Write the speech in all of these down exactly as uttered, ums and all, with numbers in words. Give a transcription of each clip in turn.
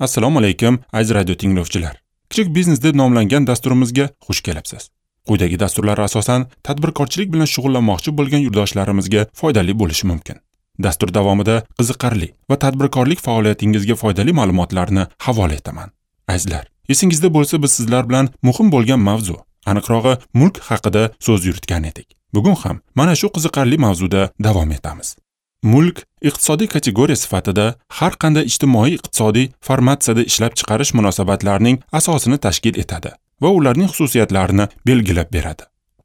Assalomu alaykum, aziz radio tinglovchilar. Kichik biznes deb nomlangan dasturimizga xush kelibsiz. Quyidagi dasturlar asosan tadbirkorchilik bilan shug'ullanmoqchi bo'lgan yurdoshlarimizga foydali bo'lishi mumkin. Dastur davomida qiziqarli va tadbirkorlik faoliyatingizga foydali ma'lumotlarni havola etaman. Azizlar, esingizda bo'lsa, biz sizlar bilan muhim bo'lgan mavzu, aniqrog'i mulk haqida so'z yuritgan edik. Bugun ham mana shu qiziqarli mavzuda davom etamiz. Mulk iqtisodiy kategoriya sifatida har qanday ijtimoiy iqtisodiy formatsiyada ishlab chiqarish munosabatlarining asosini tashkil etadi va ularning xususiyatlarini belgilab beradi.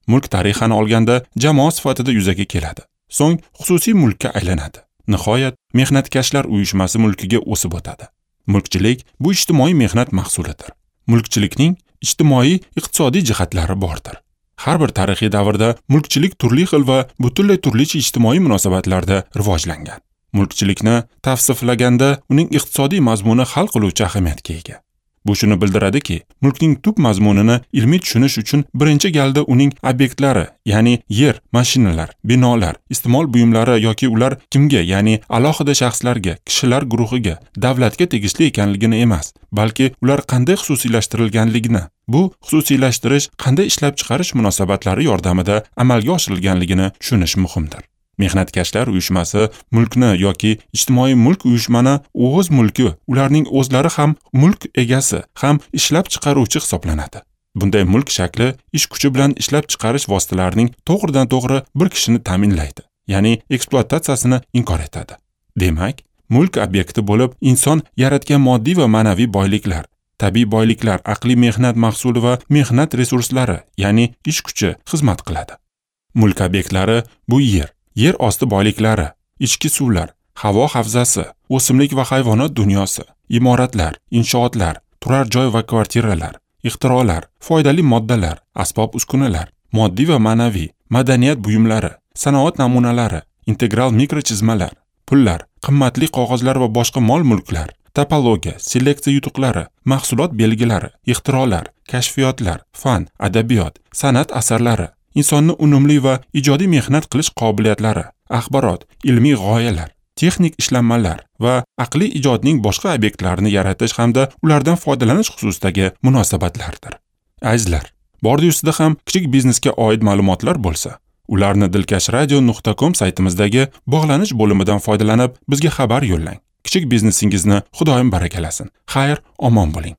Mulk tarixan olganda jamoa sifatida yuzaga keladi. So'ng xususiy mulkka aylanadi. Nihoyat mehnatkashlar uyushmasi mulkiga o'sib o'tadi. Mulkchilik bu ijtimoiy mehnat mahsulidir. Mulkchilikning ijtimoiy iqtisodiy jihatlari bordir. Har bir tarixiy davrda mulkchilik turli xil va butunlay turlicha ijtimoiy munosabatlarda rivojlangan. Mulkchilikni tavsiflaganda uning iqtisodiy mazmuni hal qiluvchi ahamiyatga ega. Bu shuni bildiradiki, mulkning tub mazmunini ilmiy tushunish uchun birinchi galda uning obyektlari, ya'ni yer, mashinalar, binolar, iste'mol buyumlari yoki ular kimga, ya'ni alohida shaxslarga, kishilar guruhiga, davlatga tegishli ekanligini emas, balki ular qanday xususiylashtirilganligini, bu xususiylashtirish qanday ishlab chiqarish munosabatlari yordamida amalga oshirilganligini tushunish muhimdir. Mehnatkashlar uyushmasi mulkni yoki ijtimoiy mulk uyushmani o'z mulki, ularning o'zlari ham mulk egasi, ham ishlab chiqaruvchi hisoblanadi. Bunday mulk shakli ish kuchi bilan ishlab chiqarish vositalarining to'g'ridan-to'g'ri bir kishini ta'minlaydi, ya'ni ekspluatatsiyasini inkor etadi. Demak, mulk obyekti bo'lib inson yaratgan moddiy va ma'naviy boyliklar, tabiiy boyliklar, aqliy mehnat mahsuli va mehnat resurslari, ya'ni ish kuchi xizmat qiladi. Mulk obyektlari bu yer, yer osti boyliklari, ichki suvlar, havo havzasi, o'simlik va hayvonot dunyosi, imoratlar, inshootlar, turar joy va kvartiralar, ixtirolar, foydali moddalar, asbob-uskunalar, moddiy va ma'naviy, madaniyat buyumlari, sanoat namunalari, integral mikrochizmalar, pullar, qimmatli qog'ozlar va boshqa mol-mulklar, topologiya, seleksiya yutuqlari, mahsulot belgilari, ixtirolar, kashfiyotlar, fan, adabiyot, san'at asarlari, insonni unumli va ijodiy mehnat qilish qobiliyatlari, axborot, ilmiy g'oyalar, texnik ishlanmalar va aqliy ijodning boshqa obyektlarini yaratish hamda ulardan foydalanish xususidagi munosabatlardir. Azizlar, bordi ustida ham kichik biznesga oid ma'lumotlar bo'lsa, ularni dilkash radio nuqta com saytimizdagi bog'lanish bo'limidan foydalanib bizga xabar yo'llang. Kichik biznesingizni Xudoyim barakalasin. Xayr, omon bo'ling.